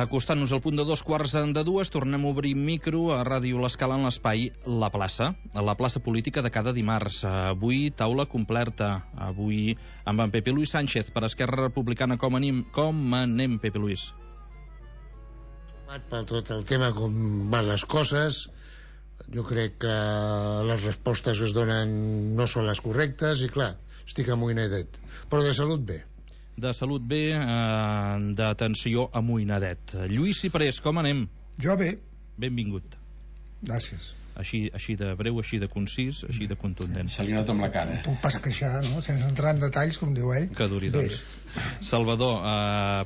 Acostant-nos al punt de 2:15, tornem a obrir micro a Ràdio L'Escala en l'espai La Plaça política de cada dimarts. Avui taula completa, avui amb en Pepe Luis Sánchez per Esquerra Republicana. Com anem, Pepe Luis? Per tot el tema, com van les coses, jo crec que les respostes que es donen no són les correctes i clar, estic amoïnadet, però de salut bé. De salut bé, d'atenció amoïnadet. Lluís Ciprés, com anem? Jo bé. Benvingut. Gràcies. Així de breu, així de concís, així de contundent. Se li nota amb la cara. Puc pas queixar, no? Sense entrar en detalls, com diu ell. Que duri, doncs. Salvador,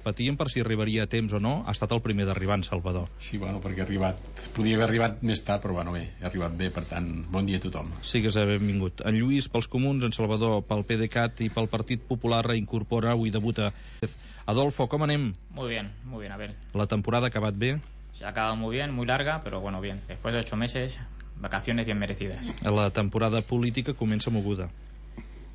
patíem per si arribaria a temps o no. Ha estat el primer d'arribar, en Salvador. Sí, bueno, perquè podia haver arribat més tard, però bueno, bé, he arribat bé, per tant, bon dia a tothom. Sigues benvingut. En Lluís pels Comuns, en Salvador pel PDeCAT i pel Partit Popular reincorpora, avui debuta. Adolfo, com anem? Muy bien, a ver. La temporada ha acabat bé? Se ha acabado muy bien, muy larga, pero bueno, bien. Después de 8 meses, vacaciones bien merecidas. La temporada política comença moguda.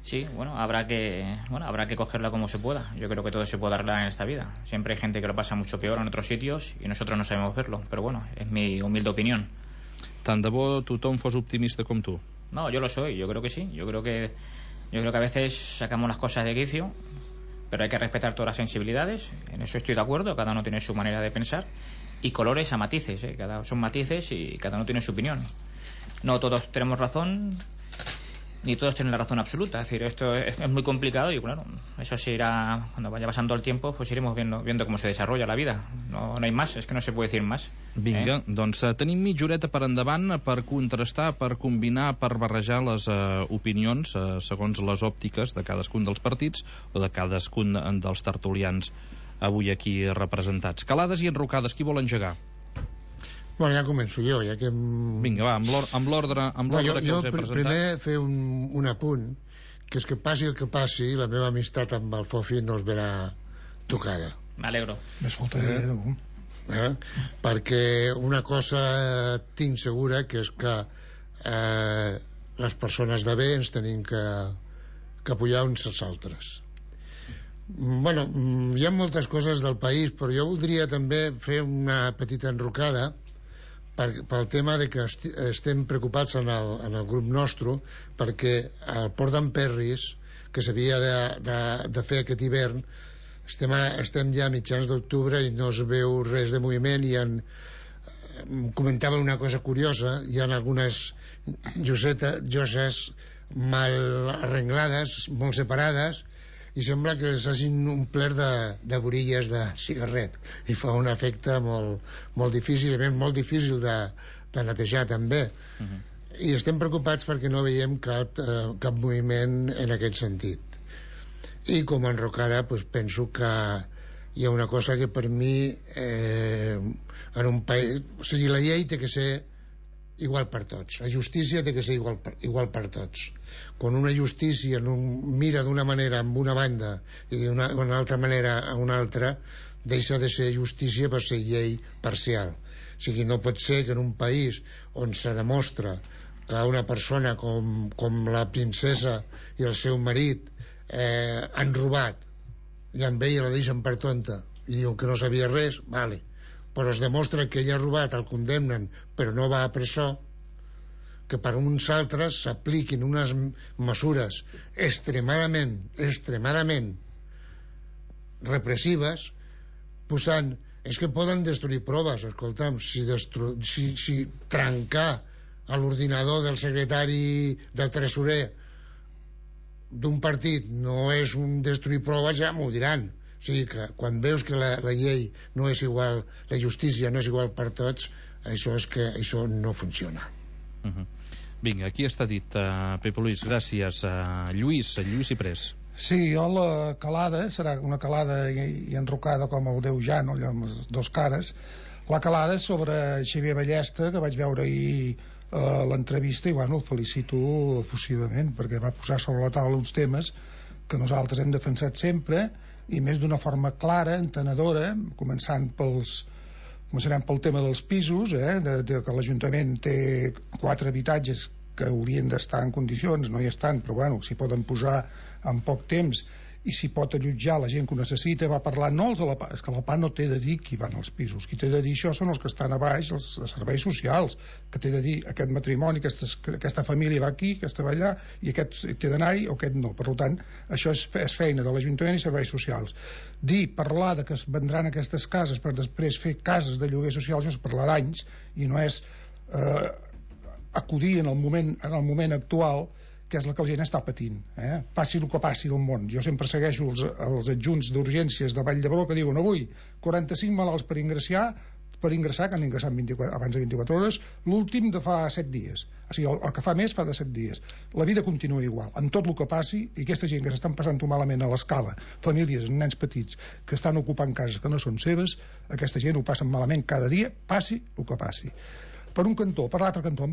Sí, bueno, habrá que cogerla como se pueda. Yo creo que todo se puede arreglar en esta vida. Siempre hay gente que lo pasa mucho peor en otros sitios y nosotros no sabemos verlo. Pero bueno, es mi humilde opinión. Tant de bo tothom fos optimista com tu. No, yo lo soy, yo creo que sí. Yo creo que a veces sacamos las cosas de quicio, pero hay que respetar todas las sensibilidades. En eso estoy de acuerdo, cada uno tiene su manera de pensar. Y colores a matices, son matices y cada uno tiene su opinión. No todos tenemos razón, ni todos tienen la razón absoluta. Es decir, esto es muy complicado y claro, eso se irá, cuando vaya pasando el tiempo, pues iremos viendo cómo se desarrolla la vida. No hay más, es que no se puede decir más. Vinga, doncs tenim mitja horeta per endavant per contrastar, per combinar, per barrejar les opinions segons les òptiques de cadascun dels partits o de cadascun dels tertulians avui aquí representats. Calades i enrocades, qui vol engegar? Bueno, ja començo jo, ja que... Vinga, va, amb l'ordre que us he presentat. Primer fer un apunt, que és que passi el que passi, la meva amistat amb el Fofi no es verà tocada. Me alegro. Més faltaria perquè una cosa tinc segura, que és que les persones de bé ens tenim que apoyar uns als altres. Bueno, hi ha moltes coses del país, però jo voldria també fer una petita enrocada pel tema de que estem preocupats en el grup nostre, perquè el Port d'Emperris, que s'havia de fer aquest hivern, estem ja a mitjans d'octubre i no es veu res de moviment. Comentava una cosa curiosa, hi ha algunes lloses mal arreglades, molt separades, i sembla que s'hagin omplert de borilles de cigarret i fa un efecte molt difícil, molt difícil de netejar també. I estem preocupats perquè no veiem cap moviment en aquest sentit. I com a enrocada penso que hi ha una cosa que per mi en un país, o sigui, la llei té que ser igual per tots, la justícia té que ser igual per tots. Quan una justícia mira d'una manera amb una banda i d'una altra manera a una altra, deixa de ser justícia per ser llei parcial. O sigui, no pot ser que en un país on se demostra que una persona com la princesa i el seu marit han robat i amb ella la deixen per tonta i diuen que no sabia res, vale, però es demostra que ella ha robat, el condemnen però no va a presó, que per uns altres s'apliquin unes mesures extremadament repressives, posant, és que poden destruir proves. Escolta'm, si trencar l'ordinador del secretari del tresorer d'un partit no és un destruir proves, ja m'ho diran. O sigui que quan veus que la llei no és igual, la justícia no és igual per tots, això no funciona. Vinga, aquí està dit. Pepe Luis, gràcies. Lluís Ciprés. Sí, jo la calada serà una calada i enrocada com el Déu Jan, allò amb les dues cares. La calada sobre Xavier Ballesta, que vaig veure ahir l'entrevista, i bueno, el felicito efusivament perquè va posar sobre la taula uns temes que nosaltres hem defensat sempre, i més d'una forma clara, entenedora, començarem pel tema dels pisos, de que l'Ajuntament té 4 habitatges que haurien d'estar en condicions, no hi estan, però bueno, s'hi poden posar en poc temps, i si pot allotjar la gent que ho necessita. Va parlar no els de la PA, és que la PA no té de dir qui van als pisos, qui té de dir això són els que estan a baix, els serveis socials, que té de dir aquest matrimoni, aquesta família va aquí, aquesta va allà, i aquest té d'anar-hi o aquest no. Per tant, això és feina de l'Ajuntament i serveis socials. Parlar de que es vendran aquestes cases per després fer cases de lloguer social, això és parlar d'anys, i no és acudir en el moment actual, que és la que la gent està patint, passi el que passi del món. Jo sempre segueixo els adjunts d'urgències de Vall d'Hebron que diuen avui 45 malalts per ingressar, que han ingressat abans de 24 hores, l'últim de fa 7 dies. O sigui, el que fa més fa de 7 dies. La vida continua igual, amb tot el que passi, i aquesta gent que s'estan passant-ho malament a l'escala, famílies amb nens petits que estan ocupant cases que no són seves, aquesta gent ho passen malament cada dia, passi el que passi. Per un cantó. Per l'altre cantó,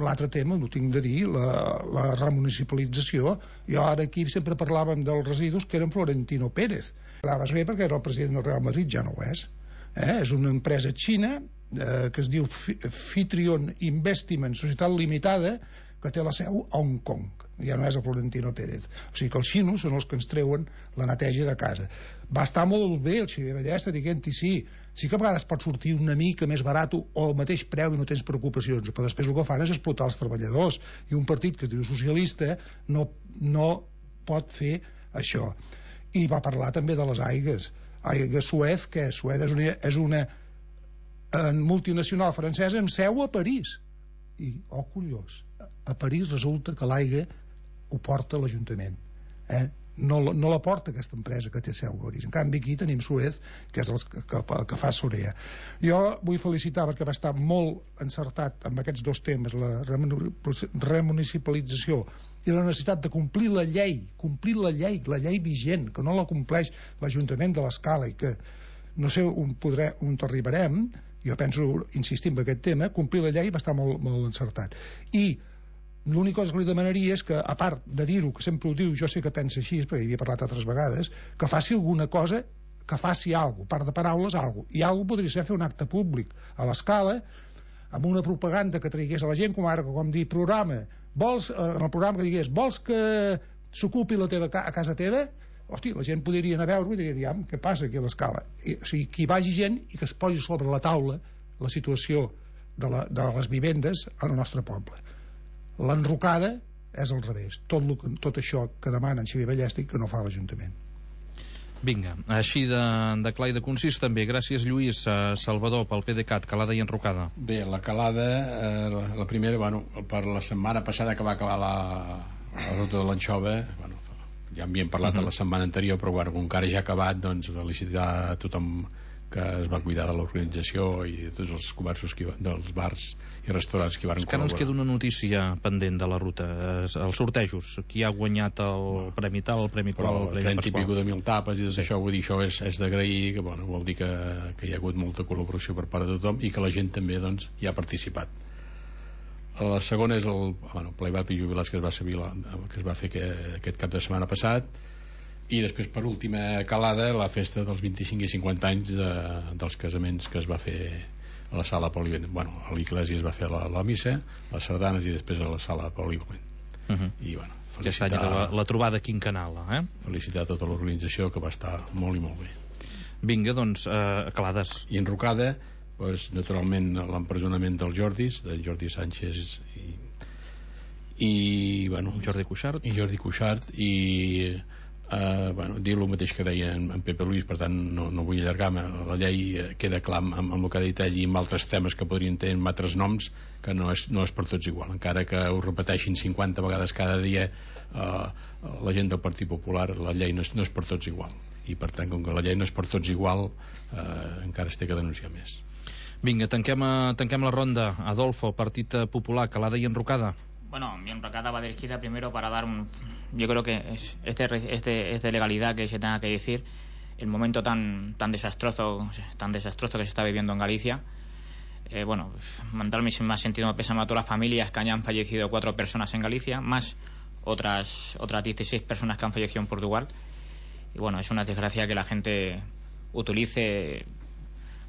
l'altre tema, no tinc de dir, la remunicipalització. Jo ara aquí sempre parlàvem dels residus que eren Florentino Pérez. Anaves bé perquè era el president del Real Madrid, ja no ho és. És una empresa xina que es diu Fitrion Investment Societat Limitada, que té la seu a Hong Kong. Ja no és el Florentino Pérez. O sigui que els xinos són els que ens treuen la neteja de casa. Va estar molt bé el Xavier Ballesta dient-hi sí que a vegades pot sortir una mica més barat o al mateix preu i no tens preocupacions, però després el que fan és explotar els treballadors, i un partit que es diu socialista no pot fer això. I va parlar també de les aigues Suez, que Suez és una multinacional francesa amb seu a París, i collons, a París resulta que l'aigua ho porta l'Ajuntament, no la porta aquesta empresa que té seu a París. En canvi aquí tenim Suez, que és el que fa Sorea. Jo vull felicitar perquè va estar molt encertat amb aquests dos temes, la remunicipalització i la necessitat de complir la llei vigent, que no la compleix l'Ajuntament de l'Escala, i que no sé on arribarem. Jo penso, insistir en aquest tema, complir la llei va estar molt encertat. I l'única cosa que li demanaria és que, a part de dir-ho, que sempre ho diu, jo sé que pensa així, perquè hi havia parlat altres vegades, que faci alguna cosa, que faci alguna cosa, a part de paraules, alguna cosa. I alguna cosa podria ser fer un acte públic a l'Escala, amb una propaganda que traigués a la gent, com ara, com dir, programa, en el programa que digués, vols que s'ocupi a casa teva? Hosti, la gent podria anar a veure i diria, què passa aquí a l'Escala? O sigui, que hi vagi gent i que es posi sobre la taula la situació de les vivendes al nostre poble. L'enrocada és al revés, tot això que demana en Xavier Ballesta i que no fa l'Ajuntament. Vinga, així de clar i de concís també. Gràcies, Lluís. Salvador, pel PDeCAT, calada i enrocada. Bé, la calada, la primera, per la setmana passada que va acabar la ruta de l'Anxova, ja en havíem parlat la setmana anterior, però com que ara ja ha acabat, doncs felicitar a tothom que es va cuidar de l'organització i de tots els comerços dels bars i restaurants que hi van col·laborar. Encara ens queda una notícia pendent de la ruta, els sortejos, qui ha guanyat el Premi Tal, el Premi Qual, el Premi Pasqual. 30 i pico de 1.000 tapes i tot això, vull dir, això és d'agrair, que vol dir que hi ha hagut molta col·laboració per part de tothom i que la gent també hi ha participat. La segona és el playback i jubilats que es va fer aquest cap de setmana passat, i després, per última calada, la festa dels 25 i 50 anys dels casaments que es va fer a la sala polivalent. A l'església es va fer la missa, les sardanes, i després a la sala polivalent. I felicitar la trobada quinquenal, felicitar tota l'organització, que va estar molt i molt bé. Vinga, doncs, calades. I enrocada, naturalment, l'empresonament dels Jordis, de Jordi Sánchez i Jordi Cuixart, i dir el mateix que deia en Pepe Luis, per tant no vull allargar-me. La llei queda clar amb el que ha dit ell i amb altres temes que podrien tenir amb altres noms, que no és per tots igual, encara que ho repeteixin 50 vegades cada dia la gent del Partit Popular. La llei no és per tots igual, i per tant, com que la llei no és per tots igual, encara es té que denunciar més. Vinga, tanquem la ronda. Adolfo, Partit Popular, calada i enrocada. Bueno, mi enrocada va dirigida primero para dar yo creo que es de legalidad que se tenga que decir el momento tan desastroso que se está viviendo en Galicia. Mandar mi más sentido pésame a todas las familias que hayan fallecido 4 personas en Galicia, más otras 16 personas que han fallecido en Portugal. Y es una desgracia que la gente utilice,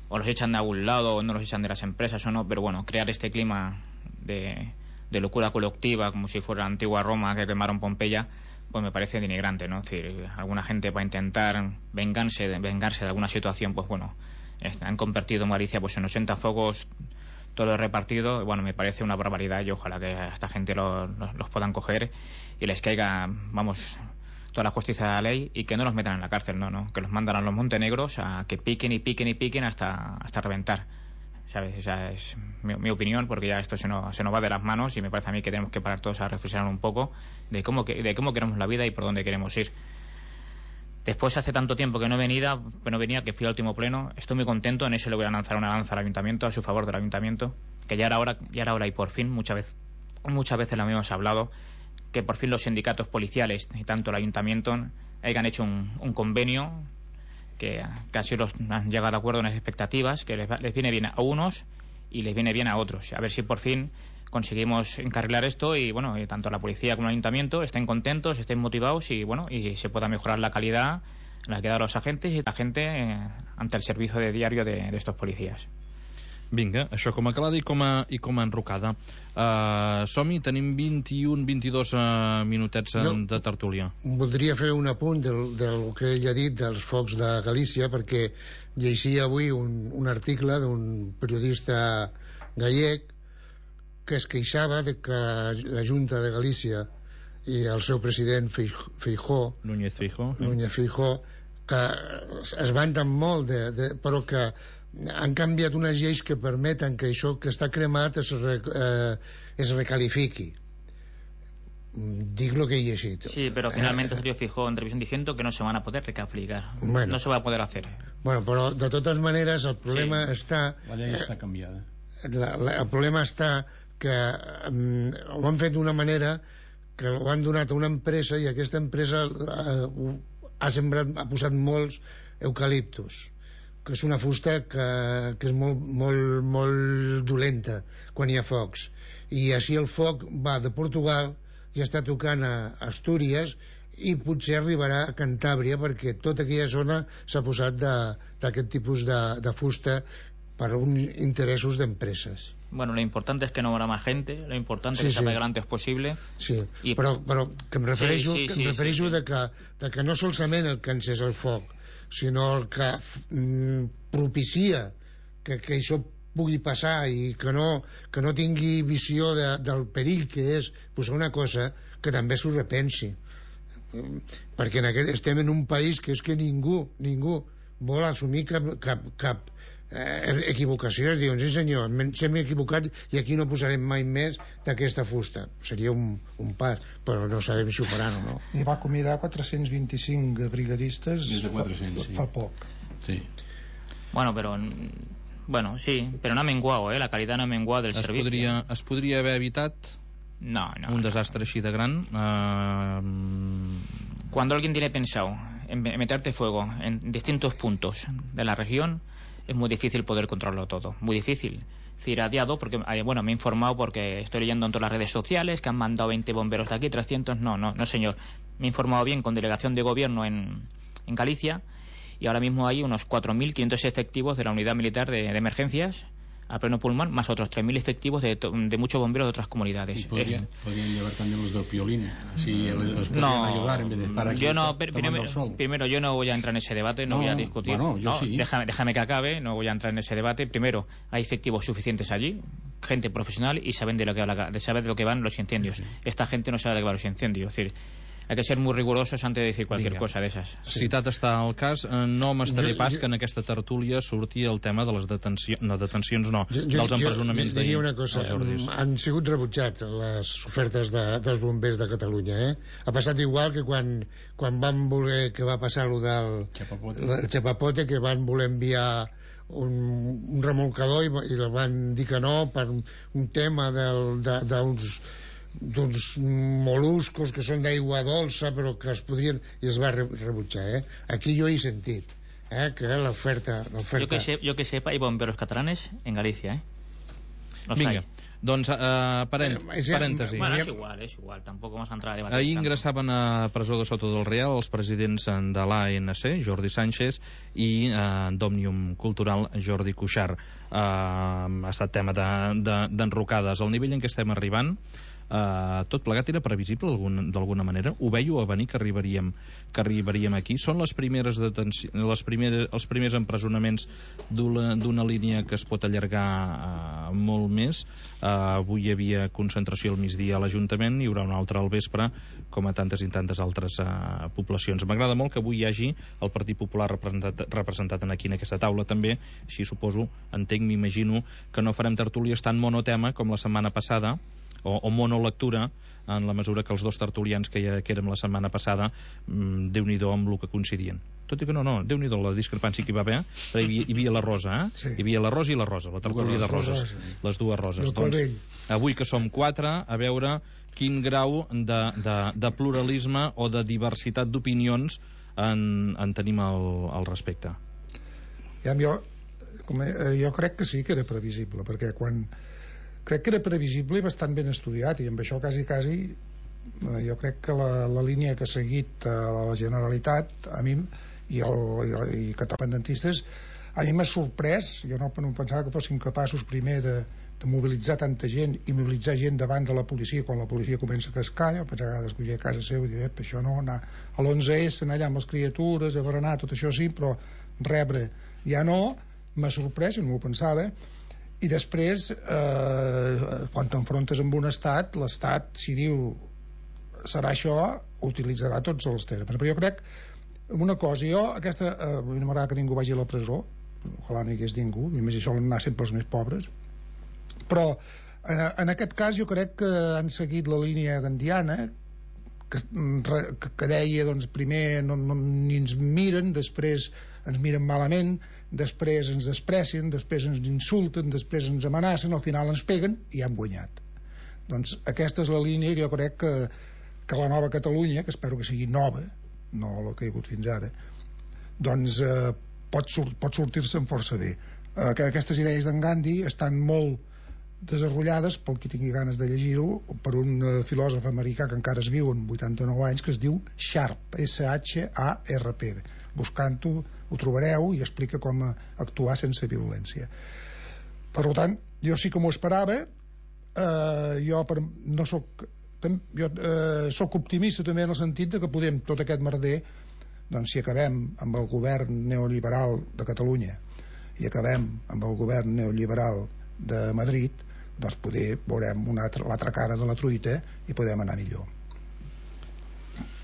o los echan de algún lado o no los echan de las empresas o no, pero crear este clima de locura colectiva, como si fuera la antigua Roma que quemaron Pompeya, pues me parece denigrante, ¿no? Es decir, alguna gente para intentar vengarse de alguna situación, pues bueno, han convertido en Galicia pues en 80 focos todo lo repartido. Bueno, me parece una barbaridad y ojalá que a esta gente los puedan coger y les caiga, vamos, toda la justicia de la ley y que no los metan en la cárcel, no, que los mandan a los montenegros a que piquen y piquen y piquen hasta reventar, ¿sabes? Esa es mi opinión, porque ya esto se nos va de las manos y me parece a mí que tenemos que parar todos a reflexionar un poco de cómo queremos la vida y por dónde queremos ir. Después, hace tanto tiempo que no venía, que fui al último pleno, estoy muy contento, en eso le voy a lanzar una lanza al ayuntamiento, a su favor del ayuntamiento, que ya era hora y por fin, muchas veces lo hemos hablado, que por fin los sindicatos policiales y tanto el ayuntamiento hayan hecho un convenio que casi han llegado a acuerdo en las expectativas, que les viene bien a unos y les viene bien a otros. A ver si por fin conseguimos encarrilar esto y bueno, y tanto la policía como el ayuntamiento estén contentos, estén motivados y bueno, y se pueda mejorar la calidad en la que dan los agentes y la gente ante el servicio de diario de estos policías. Vinga, això com a calada i com a enrocada. Som-hi, tenim 21-22 minutets de tertúlia. Voldria fer un apunt del que ell ha dit dels focs de Galícia, perquè llegia avui un article d'un periodista gallec que es queixava de que la Junta de Galícia i el seu president Feijóo, Núñez Feijóo, que es vanten molt però que han canviat unes lleis que permeten que això que està cremat es recalifiqui. Dic lo que he llegit. Sí, pero finalmente salió Feijóo en televisión diciendo que no se van a poder recalificar. Bueno, no se va a poder hacer. Bueno, però de totes maneres el problema està... La llei està canviada. El problema està que ho han fet d'una manera que ho han donat a una empresa i aquesta empresa ha posat molts eucaliptus, que és una fusta que és molt dolenta quan hi ha focs, i així el foc va de Portugal i està tocant a Astúries i potser arribarà a Cantàbria, perquè tota aquella zona s'ha posat d'aquest tipus de fusta per uns interessos d'empreses. Bueno, lo importante es que no habrá más gente, lo importante es que se apague lo antes posible. Sí, però que em refereixo de que no solament el que encés el foc, sinó el que propicia que això pugui passar i que no tingui visió del perill que és posar una cosa, que també s'ho repensi, perquè estem en un país que és que ningú vol assumir cap equivocació. Es diuen, sí senyor, ens hem equivocat i aquí no posarem mai més d'aquesta fusta. Seria un pas, però no sabem si ho faran o no. I va acomiadar 425 brigadistes fa poc. Sí. Bueno, sí, pero no ha menguado, la calidad no ha menguado del servicio. Es podria haver evitat un desastre així de gran. Cuando alguien tiene pensado en meterte fuego en distintos puntos de la región, es muy difícil poder controlarlo todo, muy difícil. Es decir, porque me he informado porque estoy leyendo en todas las redes sociales que han mandado 20 bomberos de aquí, 300, no señor. Me he informado bien con delegación de gobierno en Galicia y ahora mismo hay unos 4.500 efectivos de la unidad militar de emergencias a pleno pulmón, más otros 3.000 efectivos de muchos bomberos de otras comunidades. Podrían llevar también los del Piolín, así los podrían ayudar en vez de estar aquí. Primero, yo no voy a entrar en ese debate, no voy a discutir. Bueno, yo sí. Déjame que acabe, no voy a entrar en ese debate. Primero, hay efectivos suficientes allí, gente profesional y saben de lo que van los incendios. Sí. Esta gente no sabe de qué van los incendios, es decir, hay que ser muy rigurosos antes de decir cualquier cosa de esas. Citat està el cas, no m'estaré pas que en aquesta tertúlia surti el tema de les detencions, dels empresonaments d'ahir. Diria una cosa, han sigut rebutjats les ofertes dels bombers de Catalunya, Ha passat igual que quan van voler, que va passar allò del Chapapote, que van voler enviar un remolcador i van dir que no per un tema d'uns moluscos que són d'aigua dolça però que es podrien, i es va rebutjar. Aquí jo he sentit que l'oferta... Yo que sepa, hay bomberos catalanes en Galicia, Vinga, doncs parèntesi. Bueno, és igual, tampoc vamos a entrar a debatir. Ahir ingressaven a presó de Soto del Real els presidents de l'ANC, Jordi Sánchez, i d'Òmnium Cultural, Jordi Cuixart. Ha estat tema d'enrocades. Al nivell en què estem arribant, tot plegat era previsible d'alguna manera? Ho veieu a venir que arribaríem aquí? Són els primers empresonaments d'una línia que es pot allargar molt més. Avui hi havia concentració al migdia a l'Ajuntament, hi haurà una altra al vespre, com a tantes i tantes altres poblacions. M'agrada molt que avui hi hagi el Partit Popular representat aquí en aquesta taula també, així suposo, entenc, m'imagino que no farem tertúlies tan monotema com la setmana passada, o monolectura, en la mesura que els dos tertulians que érem la setmana passada, Déu-n'hi-do amb el que coincidien. Tot i que no, Déu-n'hi-do la discrepància que hi va haver, però hi havia la Rosa, Sí. Hi havia la Rosa i la Rosa, la tertúlia de roses, les dues roses. Doncs, avui que som 4, a veure quin grau de pluralisme o de diversitat d'opinions en tenim al respecte. Jo crec que sí que era previsible, perquè crec que era previsible i bastant ben estudiat, i amb això quasi jo crec que la línia que ha seguit la Generalitat a mi i catalandentistes a mi m'ha sorprès. Jo no pensava que fossin capaços primer de mobilitzar tanta gent i mobilitzar gent davant de la policia quan la policia comença a cascar. Jo pensava que escollir a casa seu i dir, això no, anar a l'11S, anar allà amb les criatures a berenar, tot això sí, però rebre ja no. M'ha sorprès, jo no m'ho pensava. I després quan t'enfrontes amb un estat, l'estat, si diu serà això, utilitzarà tots els termes. Però jo crec una cosa, no m'agrada que ningú vagi a la presó, ojalà no hi hagués ningú, i més això anar sempre els més pobres, però en aquest cas jo crec que han seguit la línia gandiana que deia, doncs primer ni ens miren, després ens miren malament, després ens desprecien, després ens insulten, després ens amenacen, al final ens peguen i han guanyat. Doncs aquesta és la línia que jo crec que la nova Catalunya, que espero que sigui nova, no la que hi ha hagut fins ara, doncs pot sortir-se'n força bé. Aquestes idees d'en Gandhi estan molt desenrotllades, pel qui tingui ganes de llegir-ho, per un filòsof americà que encara es viu amb 89 anys, que es diu Sharp, S-H-A-R-P. Buscant-ho ho trobareu i explica com actuar sense violència. Per tant, jo sí que m'ho esperava. Jo soc optimista també en el sentit de que podem tot aquest merder, doncs si acabem amb el govern neoliberal de Catalunya i acabem amb el govern neoliberal de Madrid, doncs poder veurem l'altra cara de la truita i podem anar millor.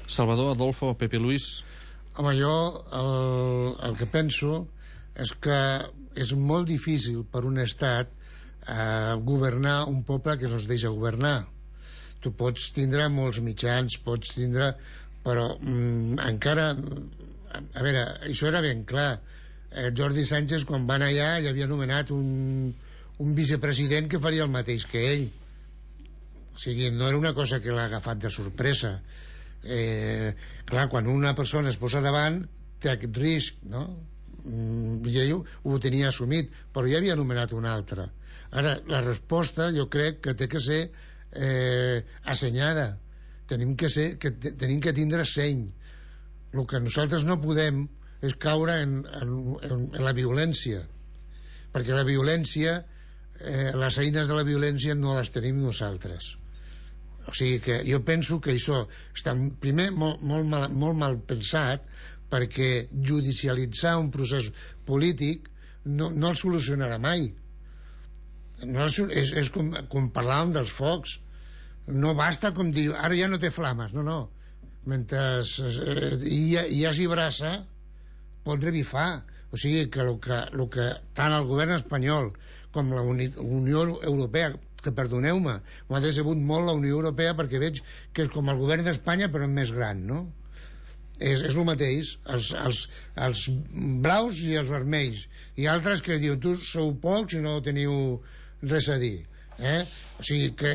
Salvador, Adolfo, Pepe Luis. Home, jo el que penso és que és molt difícil per un estat governar un poble que no es deixa governar. Tu pots tindre molts mitjans, però encara, a veure, això era ben clar. Jordi Sánchez, quan va anar allà, ja havia nomenat un vicepresident que faria el mateix que ell. O sigui, no era una cosa que l'ha agafat de sorpresa. Clar, quan una persona es posa davant té aquest risc, no? I ell ho tenia assumit, però ja havia nomenat un altre. Ara, la resposta jo crec que té que ser assenyada. Tenim que tindre seny. El que nosaltres no podem és caure en la violència, perquè la violència, les eines de la violència no les tenim nosaltres. O sigui que jo penso que això està primer molt mal pensat, perquè judicialitzar un procés polític no el solucionarà mai. És com parlàvem dels focs. No basta com dir ara ja no té flames, no. Mentre hi hagi brasa pot revifar. O sigui que el que tant el govern espanyol com la Unió Europea, que perdoneu-me, m'ha decebut molt la Unió Europea, perquè veig que és com el govern d'Espanya però més gran, no? És el mateix, els blaus i els vermells, i altres que diuen tu sou pocs i no teniu res a dir, o sigui que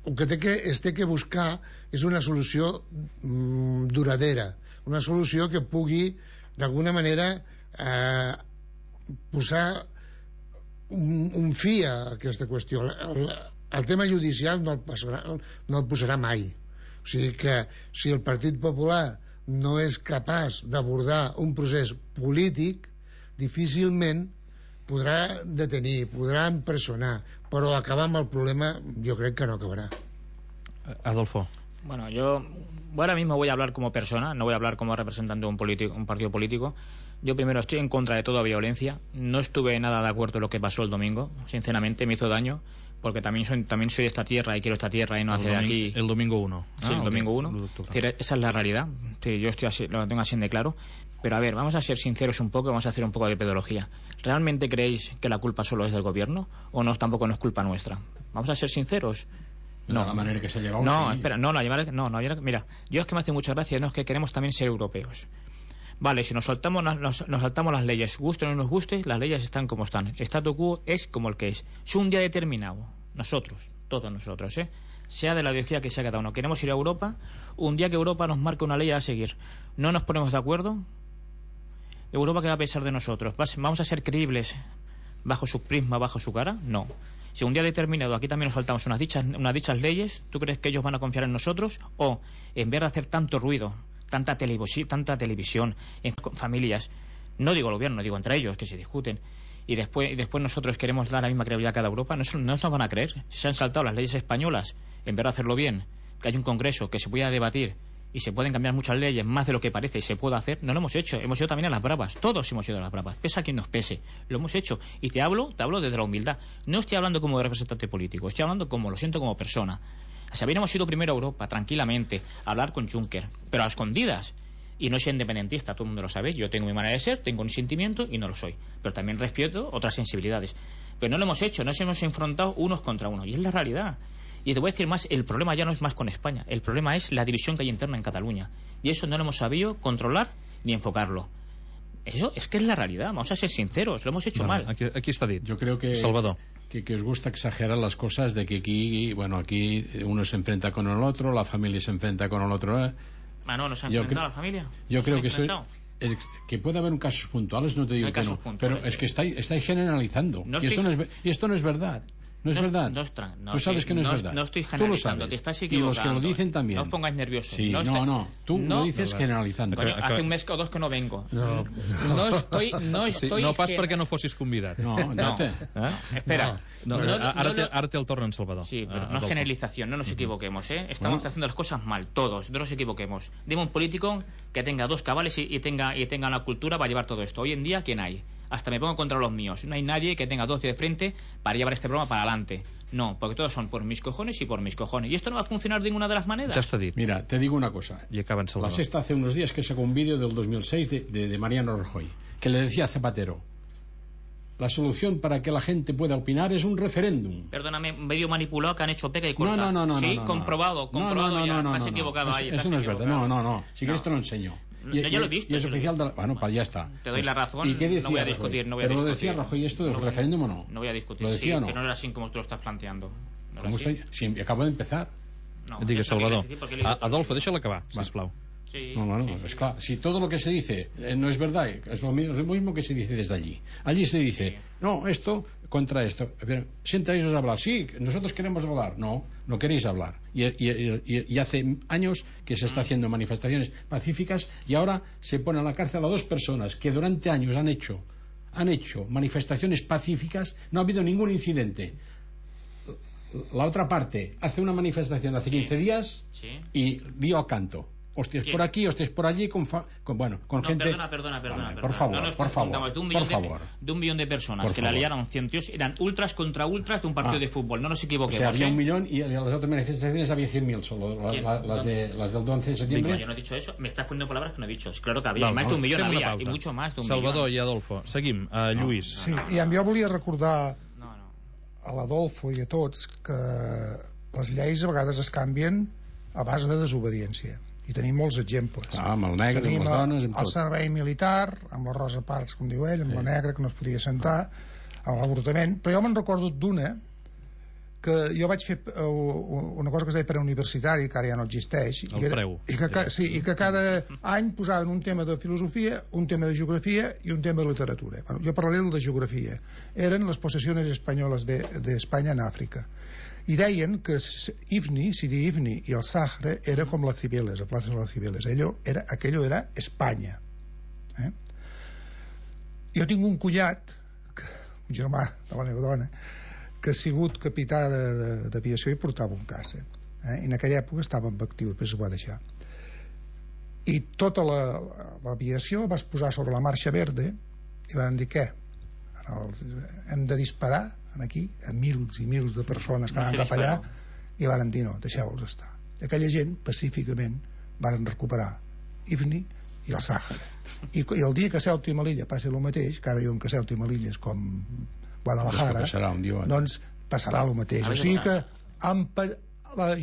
el que es té que buscar és una solució duradera, una solució que pugui d'alguna manera posar un fi a aquesta qüestió. El tema judicial no el posarà mai. O sigui que si el Partit Popular no és capaç d'abordar un procés polític, difícilment podrà detenir, podrà empresonar, però acabar amb el problema jo crec que no acabará. Adolfo. Bueno, yo ahora mismo voy a hablar como persona, no voy a hablar como representante de un partido político. Yo primero estoy en contra de toda violencia. No estuve nada de acuerdo en lo que pasó el domingo. Sinceramente me hizo daño, porque también soy de esta tierra y quiero esta tierra y no hacer de aquí. El domingo 1. Sí, el domingo 1. Es decir, esa es la realidad. Sí, yo estoy así, lo tengo así de claro. Pero a ver, vamos a ser sinceros un poco, vamos a hacer un poco de pedagogía. ¿Realmente creéis que la culpa solo es del gobierno o no, tampoco no es culpa nuestra? Vamos a ser sinceros. No, la manera que se ha llevado. No, sí. Espera, mira, yo es que me hace mucha gracia, no es que queremos también ser europeos. Vale, si nos saltamos las leyes, guste o no nos guste, las leyes están como están. El statu quo es como el que es. Si un día determinado, todos nosotros, sea de la ideología que sea cada uno, queremos ir a Europa, un día que Europa nos marque una ley a seguir, no nos ponemos de acuerdo, Europa, ¿qué va a pensar de nosotros? ¿Vamos a ser creíbles bajo su prisma, bajo su cara? No. Si un día determinado aquí también nos saltamos unas dichas leyes, ¿tú crees que ellos van a confiar en nosotros? O en vez de hacer tanto ruido, tanta televisión en familias, no digo el gobierno, digo entre ellos que se discuten, y después nosotros queremos dar la misma credibilidad a cada Europa, no nos van a creer. Si se han saltado las leyes españolas, en vez de hacerlo bien, que hay un congreso, que se pueda debatir y se pueden cambiar muchas leyes más de lo que parece y se puede hacer, no lo hemos hecho. Hemos ido también a las bravas, todos hemos ido a las bravas, pese a quien nos pese, lo hemos hecho. Y te hablo desde la humildad, no estoy hablando como representante político, estoy hablando como persona. Si hubiéramos ido primero a Europa tranquilamente a hablar con Juncker, pero a escondidas, y no soy independentista, todo el mundo lo sabe, yo tengo mi manera de ser, tengo un sentimiento y no lo soy, pero también respeto otras sensibilidades, pero no lo hemos hecho, nos hemos enfrentado unos contra unos, y es la realidad. Y te voy a decir más, el problema ya no es más con España, el problema es la división que hay interna en Cataluña, y eso no lo hemos sabido controlar ni enfocarlo. Eso es que es la realidad, vamos a ser sinceros, lo hemos hecho mal. Aquí está dit. Yo creo que Salvador. Que os gusta exagerar las cosas, de que aquí uno se enfrenta con el otro, la familia se enfrenta con el otro. No se ha enfrentado a la familia. Yo creo que puede haber casos puntuales, no te digo que no, pero es que estáis generalizando, y esto no es verdad. No es verdad. Tú sabes que no es verdad. No estoy generalizando, tú lo sabes. Te estás equivocando. Y los que lo dicen también. No os pongáis nerviosos. Sí, tú lo dices generalizando. Bueno, hace un mes o dos que no vengo. No estoy no pas perquè no fossis convidat. No. Espera. Ara té el torn en Salvador. Sí, pero no es generalización, no nos equivoquemos, Estamos haciendo las cosas mal, todos, no nos equivoquemos. Dime un político que tenga dos cabales y tenga la cultura para llevar todo esto. Hoy en día, ¿quién hay? Hasta me pongo contra los míos. No hay nadie que tenga 12 de frente para llevar este programa para adelante. No, porque todos son por mis cojones y por mis cojones. Y esto no va a funcionar de ninguna de las maneras. Ya está dit. Mira, te digo una cosa. Y acaba en Salvador. La Sexta hace unos días que sacó un vídeo del 2006 de Mariano Rajoy, que le decía a Zapatero: la solución para que la gente pueda opinar es un referéndum. Perdóname, medio manipulado que han hecho peca y corta. No. Sí, comprobado ya. Estás equivocado ahí. Eso no es verdad. No. Si quieres te lo enseño. Yo lo he visto. Y es oficial de la... Bueno, ya está. Te doy la razón. ¿Y qué decía no voy a discutir. Pero lo decía Rajoy esto del referéndum o no. No voy a discutir. ¿Lo decía o no? Que no era así como tú lo estás planteando. ¿Cómo estoy? Sí, acabo de empezar. Digues, Salvador. Adolfo, déjala acabar, sisplau. Sí, es claro. Si todo lo que se dice no es verdad, es lo mismo que se dice desde allí. Allí se dice, no, esto contra esto. Siéntaos a hablar. Sí, nosotros queremos hablar. No queréis hablar. Y hace años que se está haciendo manifestaciones pacíficas, y ahora se pone a la cárcel a dos personas que durante años han hecho manifestaciones pacíficas. No ha habido ningún incidente. La otra parte hace una manifestación hace 15 días y dio al canto. Hostias por aquí, hostias por allí, con gente... Perdona. Por favor. De un millón de personas que la liaron 100 tíos, eran ultras contra ultras de un partido de fútbol, no nos equivoquemos. O sea, había 1 millón y en las otras manifestaciones había 100.000 solo, las del 11 de septiembre. Yo no he dicho eso, me estás poniendo palabras que no he dicho. Claro que había, más de 1 millón había, y mucho más de 1 millón. Salvador i Adolfo, seguim. Lluís. Sí, i jo volia recordar a l'Adolfo i a tots que les lleis a vegades es canvien a base de desobediència, i tenim molts exemples. Amb el negre, tenim amb les dones, amb el servei militar, amb la Rosa Parks, com diu ell, amb la negra que no es podia sentar, amb l'avortament. Però jo me'n recordo d'una que jo vaig fer una cosa que es deia preuniversitari, que ara ja no existeix, i que cada any posaven un tema de filosofia, un tema de geografia i un tema de literatura. Bueno, jo parlaré de geografia. Eren les possessiones espanyoles d'Espanya en Àfrica, i deien que Ifni, Sidi Ifni i el Sahara era com les Cibeles, la plaça de les Cibeles. Aquello era Espanya. Jo tinc un cullat un germà de la meva dona, que ha sigut capità d'aviació i portava un caça. I en aquella època estava en actiu, després es va deixar. I tota l'aviació va posar sobre la marxa verda i van dir, què? Hem de disparar aquí a mils i mils de persones que anaven cap allà, i van dir, no, deixeu-los estar. I aquella gent, pacíficament, van recuperar Ifni i el Sàhara. I el dia que Ceuta i Melilla passi el mateix, que ara diuen que Ceuta i Melilla és com Guadalajara, doncs passarà el mateix. O sigui que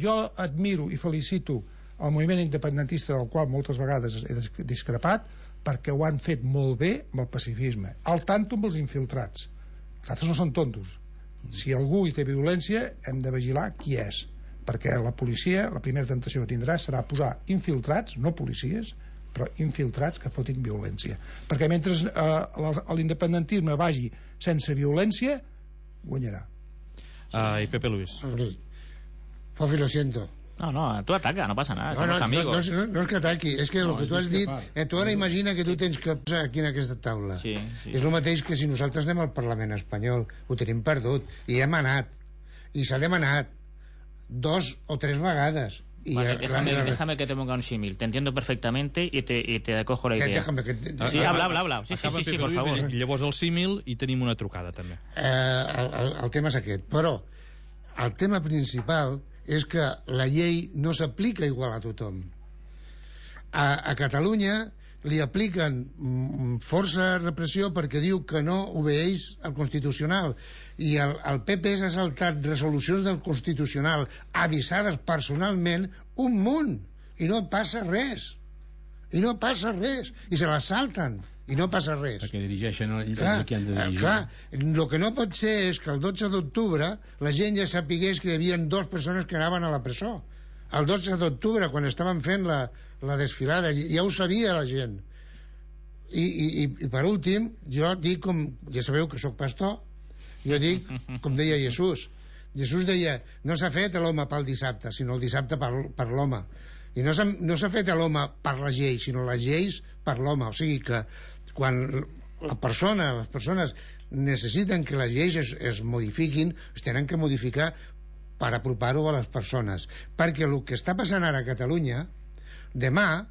jo admiro i felicito el moviment independentista, del qual moltes vegades he discrepat, perquè ho han fet molt bé amb el pacifisme. Al tanto amb els infiltrats. Els altres no són tontos. Si algú hi té violència, hem de vigilar qui és, perquè la policia, la primera tentació que tindrà serà posar infiltrats, no policies, però infiltrats que fotin violència, perquè mentre l'independentisme vagi sense violència, guanyarà. I Pepe Luis. Fofi, lo siento. No, tú ataca, no pasa nada, somos amigos. No es que ataqui, és que el que tu has dit, tu ara imagina que tu tens que posar aquí en aquesta taula. Sí. És el mateix que si nosaltres anem al Parlament espanyol, ho tenim perdut, i hem anat, i s'ha demanat 2 o 3 vegades. Vale, déjame que te ponga un símil. Te entiendo perfectamente y te acojo la idea. Sí, habla. Sí, por favor. Llavors el símil i tenim una trucada, també. El tema és aquest. Però el tema principal és que la llei no s'aplica igual a tothom. A Catalunya li apliquen força repressió perquè diu que no obeeix al Constitucional, i el PP s'ha saltat resolucions del Constitucional avisades personalment un munt, i no passa res, i se les salten i no passa res, perquè dirigeixen ells qui han de dirigir. El que no pot ser és que el 12 d'octubre la gent ja sapigués que hi havia 2 persones que anaven a la presó. El 12 d'octubre, quan estaven fent la desfilada, ja ho sabia la gent. I per últim, jo dic, ja sabeu que sóc pastor, jo dic, com deia Jesús deia, no s'ha fet l'home pel dissabte, sinó el dissabte per l'home. I no s'ha fet l'home per la llei, sinó les lleis per l'home. O sigui que quan les persones necessiten que les lleis es modifiquin, es tenen que modificar per apropar-ho a les persones, perquè el que està passant ara a Catalunya demà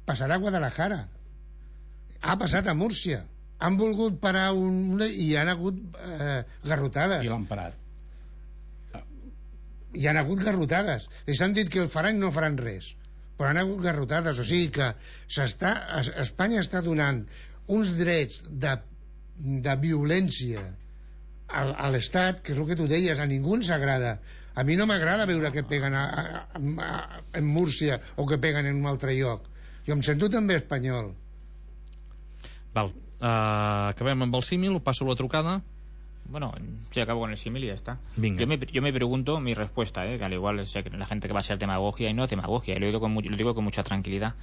passarà a Guadalajara, ha passat a Múrcia, han volgut parar i han hagut garrotades, i l'han parat, hi han hagut garrotades, ells han dit que el faran i no faran res, però han hagut garrotades. O sigui que Espanya està donant uns drets de violència a l'Estat, que és el que tu deies, a ningú ens agrada. A mi no m'agrada veure que peguen en Múrcia o que peguen en un altre lloc. Jo em sento també espanyol. Val, acabem amb el símil, passo la trucada. Bueno, sí, acabo con el símil y ya está. Venga. Yo me pregunto mi respuesta, que al igual sé que la gente que va a ser demagogia y no demagogia, y lo digo con mucha tranquilidad.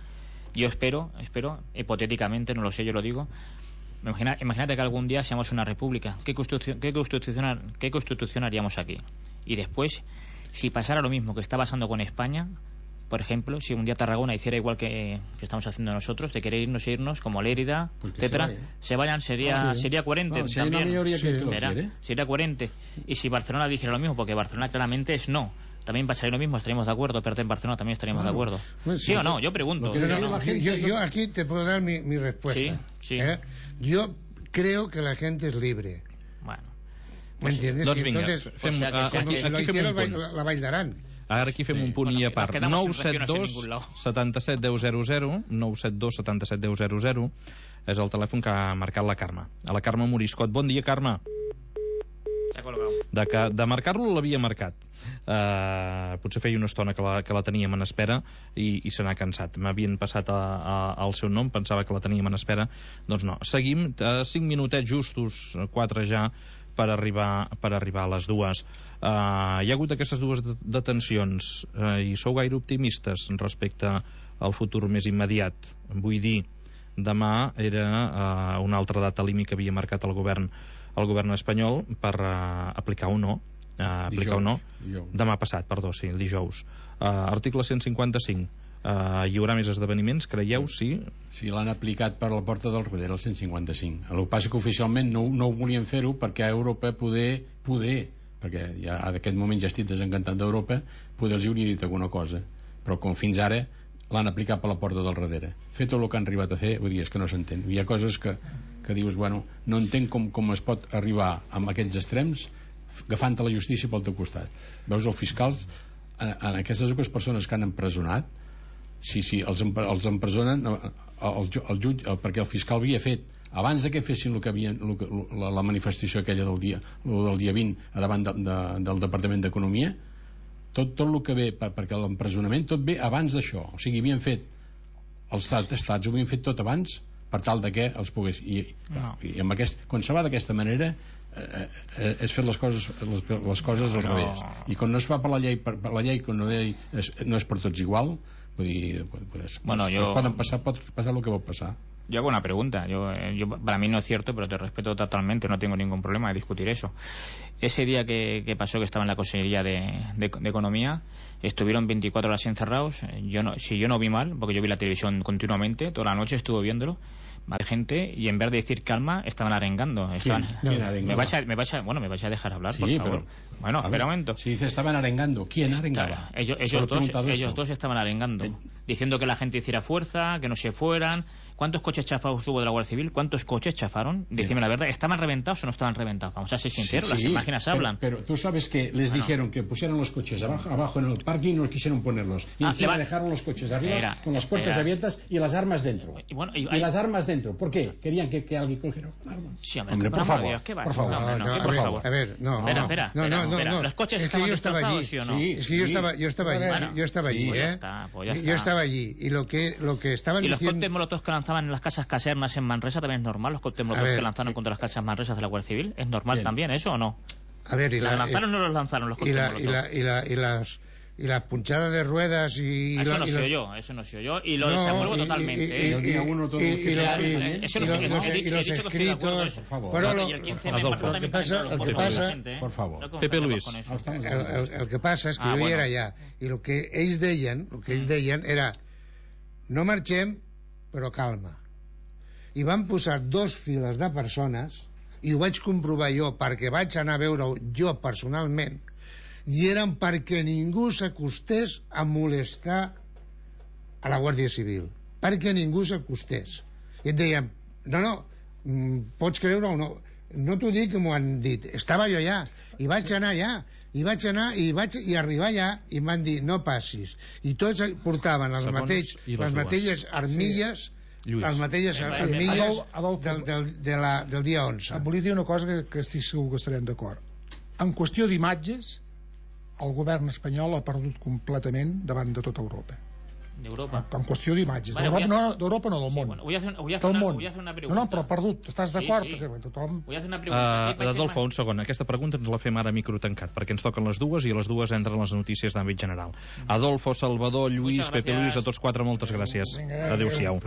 Yo espero, hipotéticamente, no lo sé, yo lo digo, imagínate que algún día seamos una república. ¿Qué constitución haríamos aquí? Y después, si pasara lo mismo que está pasando con España, por ejemplo, si un día Tarragona hiciera igual que estamos haciendo nosotros, de querer irnos como Lérida, etcétera, se vayan, sería coherente. Bueno, si también. Sería coherente. Y si Barcelona dijera lo mismo, porque Barcelona claramente es no, también pasaría lo mismo, estaríamos de acuerdo, pero en Barcelona también estaríamos de acuerdo. ¿Sí o no? Yo pregunto. Yo aquí te puedo dar mi respuesta. Sí. Yo creo que la gente es libre. Bueno. ¿Me entiendes? Doncs vinga, la Vall d'Aran. Ara aquí fem un punt i a part. 972 77 10 00, 972 77 10 00 és el telèfon que ha marcat la Carme. A la Carme Moriscot. Bon dia, Carme. De marcar-lo l'havia marcat. Potser feia una estona que la teníem en espera i se n'ha cansat. M'havien passat el seu nom, pensava que la teníem en espera. Doncs no. Seguim, 5 minutets justos, 4 ja, per arribar a les 2. Hi ha hagut aquestes 2 detencions i sou gaire optimistes respecte al futur més immediat? Vull dir, demà era una altra data límit que havia marcat el govern espanyol per aplicar o no demà passat, perdó, sí, el dijous. Article 155, Hi haurà més esdeveniments, creieu? Sí? Sí, l'han aplicat per la porta del darrere, el 155. El que passa que oficialment no ho volien fer-ho perquè a Europa poder, perquè ja en aquest moment ja estic desencantat d'Europa, poder els hauria dit alguna cosa, però com fins ara l'han aplicat per la porta del darrere. Fer tot el que han arribat a fer, vull dir, és que no s'entén. Hi ha coses que dius, bueno, no entenc com es pot arribar amb aquests extrems agafant la justícia pel teu costat. Veus els fiscals en aquestes dues persones que han empresonat, sí, els empresonen el jutge, perquè el fiscal havia fet abans que fessin la manifestació aquella del dia 20 davant del Departament d'Economia, tot el que ve perquè l'empresonament tot ve abans d'això, o sigui, havien fet els estats ho havien fet tot abans per tal de que els pogués i amb quan se va d'aquesta manera és fer les coses al revés, i quan no es fa per la llei quan no és per tots igual, vull dir, pot passar el que pot passar. Yo hago una pregunta. Yo, para mí no es cierto, pero te respeto totalmente, no tengo ningún problema de discutir eso. Ese día que pasó, que estaba en la Consejería de Economía, estuvieron 24 horas encerrados. Si yo no vi mal, porque yo vi la televisión continuamente, toda la noche estuve viéndolo, más gente, y en vez de decir calma, estaban arengando. ¿Quién arengaba? Me vais a dejar hablar, sí, por favor. Pero, bueno, espera un momento. Si dice estaban arengando, ¿quién arengaba? Ellos dos estaban arengando, diciendo que la gente hiciera fuerza, que no se fueran. ¿Cuántos coches chafados hubo de la Guardia Civil? ¿Cuántos coches chafaron? Decime la verdad, ¿estaban reventados o no estaban reventados? Vamos a ser sinceros, las imágenes hablan. Pero tú sabes que les dijeron que pusieran los coches abajo en el parking y no quisieron ponerlos. Y encima dejaron los coches arriba con las puertas abiertas y las armas dentro. Y las armas dentro. ¿Por qué? ¿Querían que alguien cogiera un arma? Sí, hombre, por favor. Por favor. A ver, no. Espera. ¿Los coches estaban destrozados, sí o no? Es que yo estaba allí, Yo estaba allí. Y lo que estaban diciendo... ¿Y los cócteles molotov que lanzaban en las casas casernas en Manresa también es normal? ¿Los cócteles molotov que lanzaron contra las casas Manresas de la Guardia Civil? ¿Es normal también eso o no? A ver, ¿Los lanzaron o no los lanzaron los cócteles molotov? Y las punchadas de ruedas y... Eso no sé yo. Y lo desapruebo totalmente. Y los escritos... Por favor. El que pasa... Por favor. Pepe Luis. El que passa és que jo hi era allà. I el que ells deien era no marxem, però calma. I van posar 2 files de persones, i ho vaig comprovar jo perquè vaig anar a veure-ho jo personalment, i eren perquè ningú s'acostés a molestar a la Guàrdia Civil, perquè ningú s'acostés. I et deien, no, pots creure o no, no t'ho dic que m'ho han dit, estava jo allà, i vaig anar allà, i arribar allà i em van dir no passis, i tots portaven les mateixes armilles del dia 11. Volia dir una cosa que estic segur que estarem d'acord. En qüestió d'imatges, el govern espanyol ha perdut completament davant de tota Europa. D'Europa. En qüestió d'imatges. D'Europa no, del món. Bueno, voy a hacer una pregunta. No, però perdut. Estàs d'acord? Sí. Perquè tothom... Voy a hacer una pregunta. Adolfo, un segon. Aquesta pregunta ens la fem ara a micro tancat, perquè ens toquen les dues i a les dues entren les notícies d'àmbit general. Adolfo, Salvador, Lluís, Pepe Luis, a tots 4, moltes gràcies. Adéu-siau.